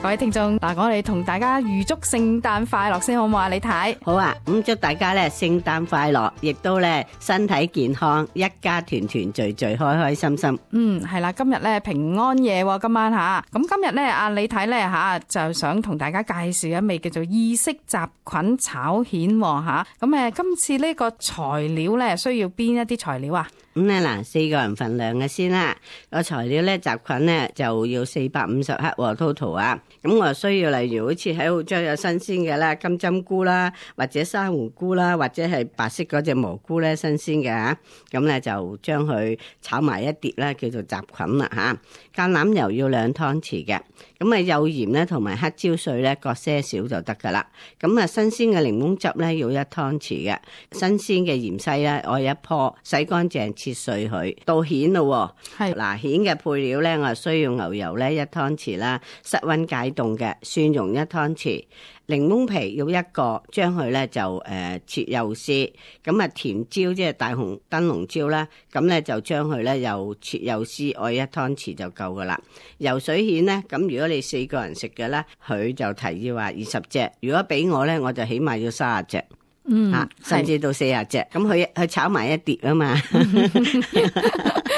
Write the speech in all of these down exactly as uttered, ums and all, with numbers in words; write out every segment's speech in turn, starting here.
各位聽眾，嗱，我哋同大家預祝聖誕快樂先好唔好啊？李太，好啊，咁祝大家咧聖誕快樂，亦都咧身體健康，一家團團聚聚，開開心心。嗯，係啦，今日咧平安夜今晚吓，咁今日咧阿李太咧吓就想同大家介紹一味叫做意式雜菌炒蜆吓，咁誒今次呢個材料咧需要邊一啲材料啊？咁咧嗱，四個人份量嘅先啦。個材料咧，雜菌咧就要四百五十克 total 啊。咁我需要例如好似喺澳洲有新鮮嘅啦，金針菇啦，或者珊瑚菇啦，或者係白色嗰隻蘑菇咧，新鮮嘅嚇。咁咧就將佢炒埋一碟啦，叫做雜菌啦嚇。橄欖油要兩湯匙嘅。咁啊幼鹽咧同埋黑椒碎咧各些少就得噶啦。咁啊新鮮嘅檸檬汁咧要一湯匙嘅。新鮮嘅芫茜咧我一棵，洗乾淨切碎佢。到蜆咯，係嗱蜆嘅配料咧，我需要牛油咧一湯匙啦，室溫解凍嘅蒜蓉一湯匙，檸檬皮要一個，將佢咧就誒、呃、切幼絲。咁啊甜椒即係大紅燈籠椒啦，咁咧就將佢咧又切幼絲，我一湯匙就夠噶啦。游水蜆咧，咁如果你四個人食嘅咧，佢就提議話二十隻，如果俾我咧，我就起碼要三十隻。嗯，啊，甚至到四十隻，咁佢佢炒埋一碟啊嘛。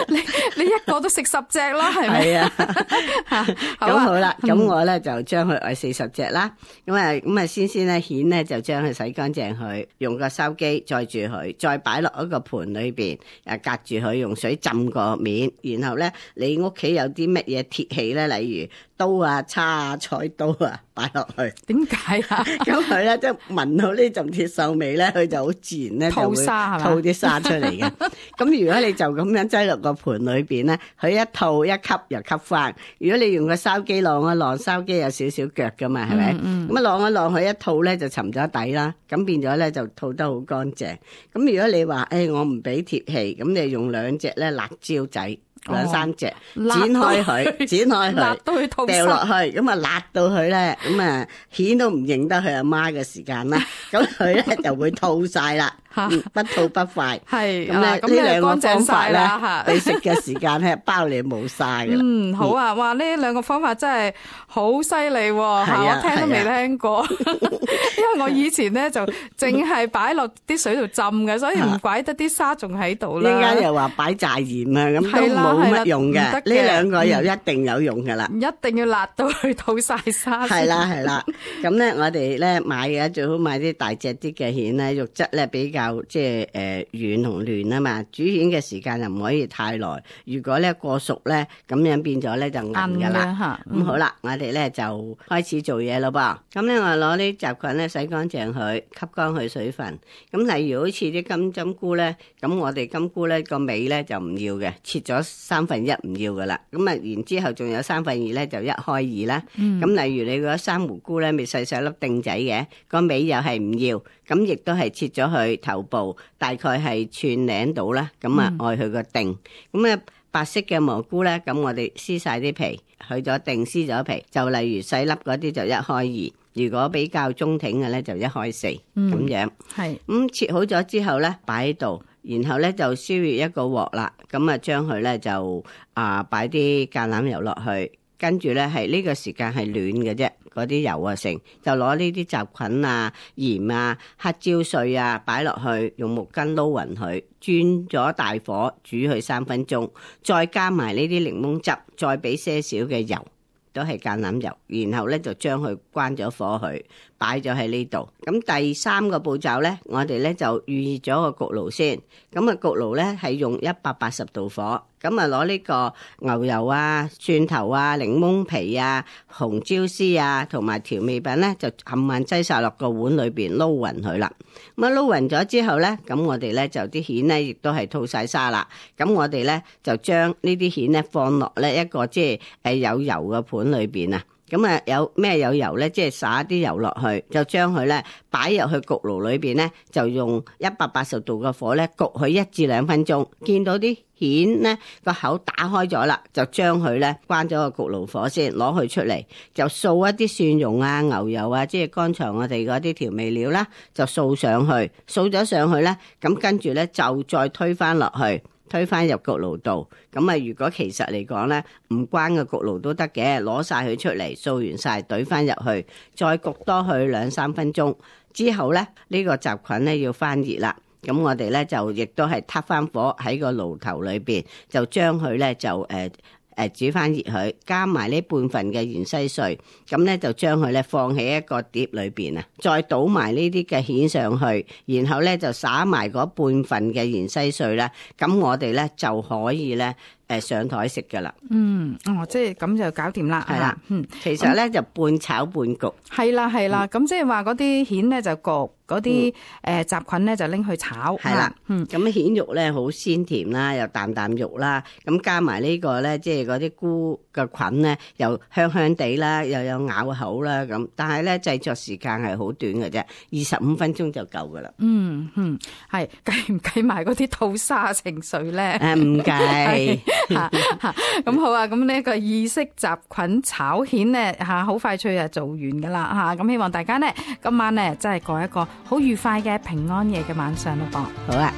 你你一個都食十隻咯，係咪？係啊。咁好啦，咁、嗯、我咧就將佢愛四十隻啦。咁啊，咁啊，先先咧蜆咧就將佢洗乾淨佢，用個筲箕載住佢，再擺落一個盤裏邊，誒隔住佢，用水浸個面。然後咧，你屋企有啲乜嘢鐵器咧，例如刀啊、叉啊、菜刀啊，擺落去。點解啊？咁佢咧即係聞到呢陣鐵鏽味咧，佢就好自然咧就會吐啲沙出嚟嘅。咁如果你就咁樣擠落個盤裏邊咧，佢一吐一吸又吸翻。如果你用個筲箕晾一晾，筲箕有少少腳噶嘛，係咪？咁啊晾一晾佢一吐咧就沉咗底啦，咁變咗咧就吐得好乾淨。咁如果你話誒、哎、我唔俾鐵器，咁你用兩隻咧辣椒仔。兩三隻，剪開佢，剪開佢，掉落去，咁啊辣到佢咧，咁啊蜆都唔認得佢阿媽嘅時間啦，咁佢咧就會吐晒啦，不吐不快。係咁咧，呢兩個方法咧，你食嘅時間係包你冇晒噶啦。嗯，好啊，哇，呢兩個方法真係好犀利喎，我聽都未聽過，因為我以前咧就淨係擺落啲水度浸嘅，所以唔怪得啲沙仲喺度啦。依家又話擺炸鹽啊，咁都冇乜用嘅，呢兩個又一定有用噶啦，一定要辣到去吐晒沙。係啦係啦，咁咧我哋咧買嘅最好買啲大隻啲嘅蜆咧，肉質咧比較即係誒軟同嫩啊嘛。煮蜆嘅時間又唔可以太耐，如果咧過熟咧，咁樣變咗咧就硬噶啦。咁好啦，我哋咧就開始做嘢咯噃。咁咧我攞啲雜菌咧洗乾淨佢，吸乾佢水分。咁例如好似啲金針菇咧，咁我哋金菇咧個尾咧就唔要嘅，切咗三分一唔要噶啦，咁啊然之後仲有三分二咧就一開二啦。咁、嗯、例如你嗰珊瑚菇咧，咪細細粒丁仔嘅，個尾又係唔要，咁亦都係切咗佢頭部，大概係寸零度啦。咁啊愛佢個丁。咁啊白色嘅蘑菇咧，咁我哋撕晒啲皮，去咗丁，撕咗皮，就例如細粒嗰啲就一開二，如果比較中挺嘅咧就一開四咁、嗯、樣。係咁、嗯、切好咗之後咧，擺喺度。然後咧就燒熱一個鑊啦，咁啊將佢咧就啊擺啲橄欖油落去，跟住咧係呢個時間係暖嘅啫，嗰啲油啊成就攞呢啲雜菌啊、鹽啊、黑椒碎啊擺落去，用木棍撈勻佢，轉咗大火煮佢三分鐘，再加埋呢啲檸檬汁，再俾些少嘅油。都係橄欖油，然後咧就將佢關咗火去，擺咗喺呢度。咁第三個步驟咧，我哋咧就預熱咗個焗爐先。咁啊焗爐咧係用一百八十度火。咁啊攞呢個牛油啊、蒜頭啊、檸檬皮啊、紅椒絲啊，同埋調味品咧，就冚唪唥擠晒落個碗裏邊撈勻佢啦。咁啊撈勻咗之後咧，咁我哋咧就啲蜆咧亦都係吐晒沙啦。咁我哋咧就將呢啲蜆咧放落咧一個即係誒有油嘅盤裏邊啊。咁啊有咩有油咧？即係灑啲油落去，就將佢咧擺入去焗爐裏邊咧，就用一百八十度嘅火咧焗佢一至兩分鐘。見到啲蜆咧個口打開咗啦，就將佢咧關咗個焗爐火先，攞佢出嚟，就掃一啲蒜蓉啊、牛油啊，即係剛才我哋嗰啲調味料啦，就掃上去，掃咗上去咧，咁跟住咧就再推返落去。推翻入焗爐度。咁啊，如果其實嚟講咧唔關個焗爐都得嘅，攞晒佢出嚟掃完晒，懟翻入去，再焗多佢兩三分鐘之後咧，呢個雜菌咧要翻熱啦。咁我哋咧就亦都係撻翻火喺個爐頭裏邊，就將佢咧就誒。呃誒煮翻熱佢，加埋呢半份嘅芫茜碎，咁咧就將佢咧放喺一個碟裏邊啊，再倒埋呢啲嘅蜆上去，然後咧就撒埋嗰半份嘅芫茜碎咧，咁我哋咧就可以咧誒上台食噶啦。嗯，哦，即係咁就搞掂啦，係啦，嗯，其實咧就半炒半焗。係啦係啦，咁即係話嗰啲蜆咧就焗，嗰啲誒雜菌咧就拎去炒。係啦，嗯，咁蜆肉咧好鮮甜啦，又啖啖肉啦，咁加埋呢個咧即係嗰啲菇嘅菌咧又香香地啦，又有咬口啦咁。但係咧製作時間係好短嘅啫，二十五分鐘就夠噶啦。嗯嗯，係計唔計埋嗰啲吐沙情緒咧？誒唔計。咁好啊！咁呢個意式雜菌炒蜆咧嚇，好快脆啊做完噶啦嚇！咁希望大家呢，今晚呢，真係過一個好愉快嘅平安夜嘅晚上咯噃。好啊！